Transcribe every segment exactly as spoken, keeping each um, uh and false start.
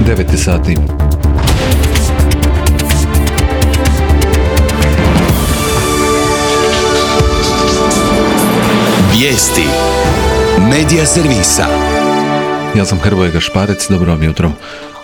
devet sati. Vijesti Medija servisa. Ja sam Hrvoje Gašparec, dobro vam jutro.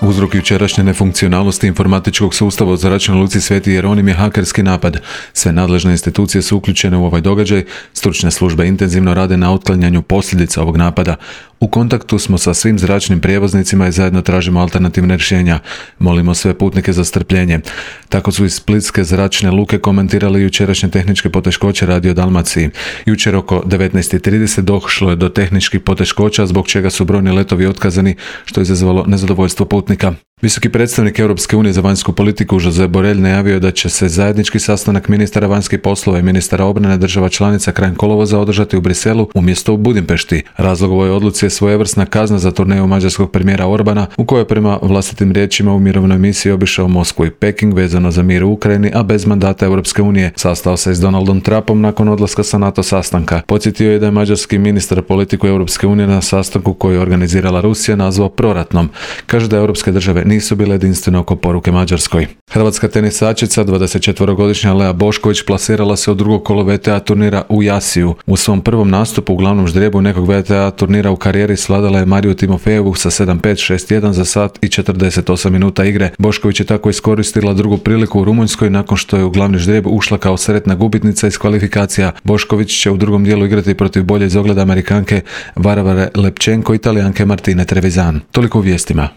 Uzrok jučerašnje nefunkcionalnosti informatičkog sustava u zračnoj luci Sveti Jeronim je hakerski napad. Sve nadležne institucije su uključene u ovaj događaj, stručne službe intenzivno rade na otklanjanju posljedica ovog napada. U kontaktu smo sa svim zračnim prijevoznicima i zajedno tražimo alternativne rješenja. Molimo sve putnike za strpljenje. Tako su iz Splitske zračne luke komentirali jučerašnje tehničke poteškoće Radio Dalmaciji. Jučer oko devetnaest trideset došlo je do tehničkih poteškoća zbog čega su brojni letovi otkazani, što je izazvalo nezadovoljstvo putnika. Visoki predstavnik Europske unije za vanjsku politiku Josep Borrell najavio da će se zajednički sastanak ministara vanjskih poslova i ministara obrane država članica krajem kolovoza održati u Briselu umjesto u Budimpešti. Razlog ovoj odluci je svojevrsna kazna za turneju mađarskog premijera Orbana, u kojoj prema vlastitim riječima u mirovnoj misiji obišao Moskvu i Peking vezano za mir u Ukrajini, a bez mandata Europske unije. Sastao se s Donaldom Trumpom nakon odlaska sa NATO sastanka. Podsjetio je da je mađarski ministar politiku Europske unije na sastanku koji je organizirala Rusija nazvao proratnom. Kaže da europske države nisu bile jedinstvene oko poruke Mađarskoj. Hrvatska tenisačica dvadesetčetverogodišnja Lea Bošković plasirala se u drugo kolo V T A turnira u Jasiju. U svom prvom nastupu u glavnom ždrijebu nekog V T A turnira u karijeri svladala je Mariju Timofejevu sa sedam pet šest jedan za sat i četrdeset osam minuta igre. Bošković je tako iskoristila drugu priliku u Rumunjskoj nakon što je u glavni ždrijeb ušla kao sretna gubitnica iz kvalifikacija. Bošković će u drugom dijelu igrati protiv bolje iz ogleda Amerikanke Varvare Lepčenko i Italijanke Martine Trevisan. Toliko u vijestima.